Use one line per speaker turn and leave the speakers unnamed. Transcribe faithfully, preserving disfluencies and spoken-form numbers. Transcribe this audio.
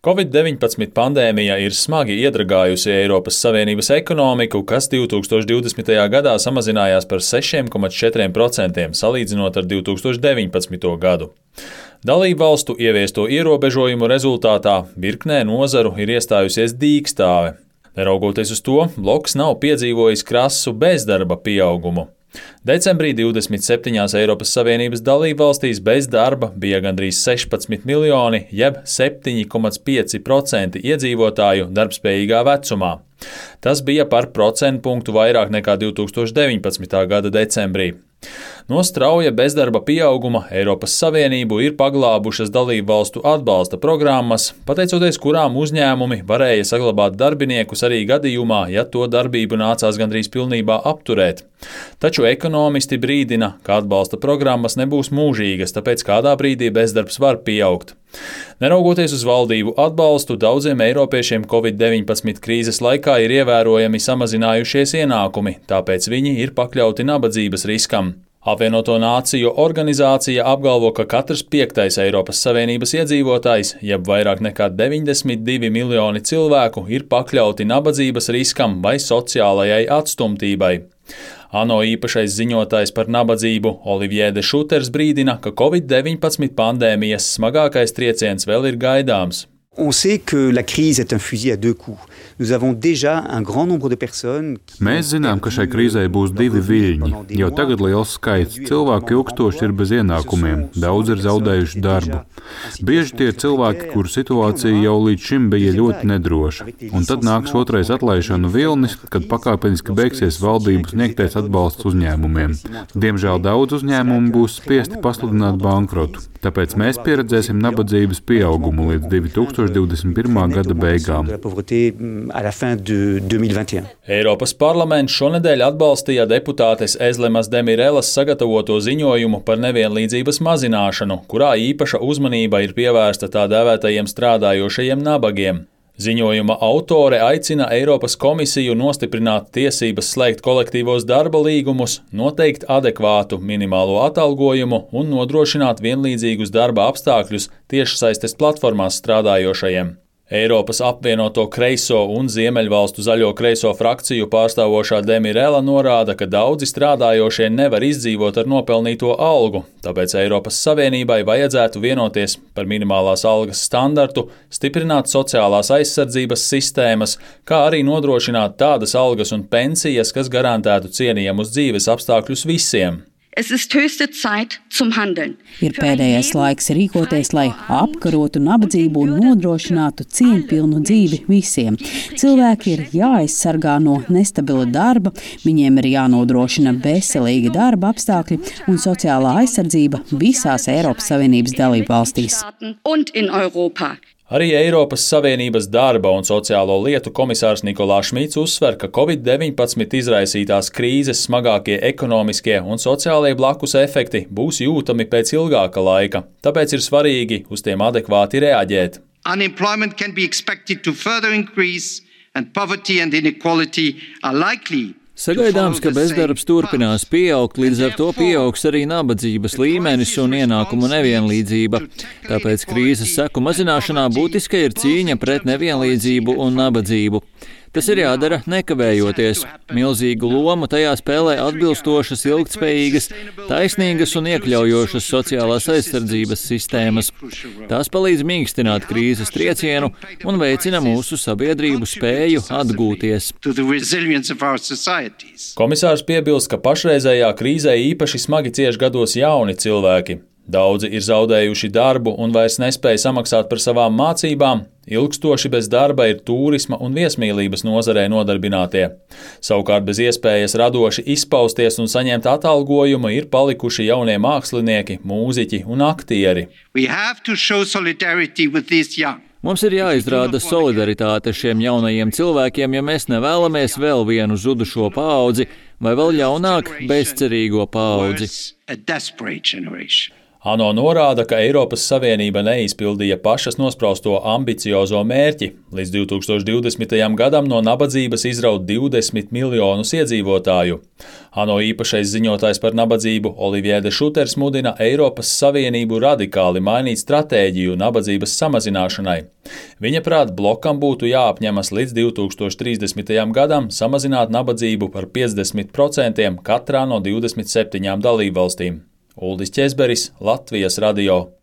Covid deviņpadsmit pandēmija ir smagi iedragājusi Eiropas Savienības ekonomiku, kas divi tūkstoši divdesmitajā gadā samazinājās par sešiem komats četriem procentiem, salīdzinot ar divi tūkstoši deviņpadsmito gadu. Dalību valstu ieviesto ierobežojumu rezultātā virknē nozaru ir iestājusies dīkstāve. Neraugoties uz to, bloks nav piedzīvojis krasu bezdarba pieaugumu. Decembrī divdesmit septiņās Eiropas Savienības dalībvalstīs bez darba bija gandrīz sešpadsmit miljoni, jeb septiņi komats pieci procenti iedzīvotāju darbspējīgā vecumā. Tas bija par procentpunktu vairāk nekā divi tūkstoši deviņpadsmitā gada decembrī. No strauja bezdarba pieauguma Eiropas Savienību ir paglābušas dalībvalstu atbalsta programmas, pateicoties kurām uzņēmumi varēja saglabāt darbiniekus arī gadījumā, ja to darbību nācās gandrīz pilnībā apturēt. Taču ekonomisti brīdina, ka atbalsta programmas nebūs mūžīgas, tāpēc kādā brīdī bezdarbs var pieaugt. Neraugoties uz valdību atbalstu, daudziem eiropiešiem Covid deviņpadsmit krīzes laikā ir ievērojami samazinājušies ienākumi, tāpēc viņi ir pakļauti nabadzības riskam. Apvienoto Nāciju organizācija apgalvo, ka katrs piektais Eiropas Savienības iedzīvotājs, jeb vairāk nekā deviņdesmit divi miljoni cilvēku, ir pakļauti nabadzības riskam vai sociālajai atstumtībai. ANO īpašais ziņotājs par nabadzību Olivier de Schutters brīdina, ka Covid deviņpadsmit pandēmijas smagākais trieciens vēl ir gaidāms.
On sait que la crise est un fusil à deux coups. Nous avons déjà un grand nombre de personnes.
Mēs zinām, ka šai krīzei būs divi viļņi. Jau tagad liels skaits cilvēku ilgstoši ir bez ienākumiem, daudz ir zaudējuši darbu. Bieži tie ir cilvēki, kuru situācija jau līdz šim bija ļoti nedroša. Un tad nāks otrais atlaišanu vilnis, kad pakāpeniski beigsies valdības sniegtais atbalsts uzņēmumiem. Diemžēl daudz uzņēmumu būs spiesti pasludināt bankrotu. Tāpēc mēs pieredzēsim nabadzības pieaugumu līdz divi tūkstoši divdesmit pirmā gada beigām.
Eiropas parlaments šonedēļ atbalstīja deputātes Ezlemas Demirelas sagatavoto ziņojumu par nevienlīdzības mazināšanu, kurā īpaša uzmanība ir pievērsta tā dēvētajiem strādājošajiem nabagiem. Ziņojuma autore aicina Eiropas komisiju nostiprināt tiesības slēgt kolektīvos darba līgumus, noteikt adekvātu minimālo atalgojumu un nodrošināt vienlīdzīgus darba apstākļus tiešsaistes platformās strādājošajiem. Eiropas apvienoto kreiso un Ziemeļvalstu zaļo kreiso frakciju pārstāvošā Demirela norāda, ka daudzi strādājošie nevar izdzīvot ar nopelnīto algu, tāpēc Eiropas Savienībai vajadzētu vienoties par minimālās algas standartu, stiprināt sociālās aizsardzības sistēmas, kā arī nodrošināt tādas algas un pensijas, kas garantētu cienījamus dzīves apstākļus visiem.
Es ist höchste Zeit zum Handeln.
Ir pēdējais laiks rīkoties, lai apkarotu nabadzību un nodrošinātu cieņpilnu dzīvi visiem. Cilvēki ir jāaizsargā no nestabila darba, viņiem ir jānodrošina veselīgi darba apstākļi un sociālā aizsardzība visās Eiropas Savienības dalībvalstīs.
Arī Eiropas Savienības darba un sociālo lietu komisārs Nikolā Šmits uzsver, ka Covid deviņpadsmit izraisītās krīzes smagākie ekonomiskie un sociālie blakus efekti būs jūtami pēc ilgāka laika, tāpēc ir svarīgi uz tiem adekvāti reaģēt.
Unemployment can be expected to further increase and poverty and inequality are likely.
Sagaidāms, ka bezdarbs turpinās pieaugt, līdz ar to pieaugs arī nabadzības līmenis un ienākumu nevienlīdzība. Tāpēc krīzes seku mazināšanā būtiska ir cīņa pret nevienlīdzību un nabadzību. Tas ir jādara nekavējoties. Milzīgu lomu tajā spēlē atbilstošas, ilgtspējīgas, taisnīgas un iekļaujošas sociālās aizsardzības sistēmas. Tās palīdz mīkstināt krīzes triecienu un veicina mūsu sabiedrību spēju atgūties.
Komisārs piebilst, ka pašreizējā krīzē īpaši smagi cieš gados jauni cilvēki. Daudzi ir zaudējuši darbu un vairs nespēja samaksāt par savām mācībām, ilgstoši bez darba ir turisma un viesmīlības nozarē nodarbinātie. Savukārt bez iespējas radoši izpausties un saņemt atalgojumu ir palikuši jaunie mākslinieki, mūziķi un aktieri.
Mums ir jāizrāda solidaritāte šiem jaunajiem cilvēkiem, ja mēs nevēlamies vēl vienu zudušo paudzi vai vēl ļaunāk bezcerīgo paudzi.
ANO norāda, ka Eiropas Savienība neizpildīja pašas nosprausto ambiciozo mērķi līdz divi tūkstoši divdesmitajam gadam no nabadzības izraut divdesmit miljonus iedzīvotāju. ANO īpašais ziņotājs par nabadzību Olivier de Schutters mudina Eiropas Savienību radikāli mainīt stratēģiju nabadzības samazināšanai. Viņa prāt, blokam būtu jāapņemas līdz divi tūkstoši trīsdesmitajam gadam samazināt nabadzību par piecdesmit procentiem katrā no divdesmit septiņām dalībvalstīm. Uldis Ķezberis, Latvijas radio.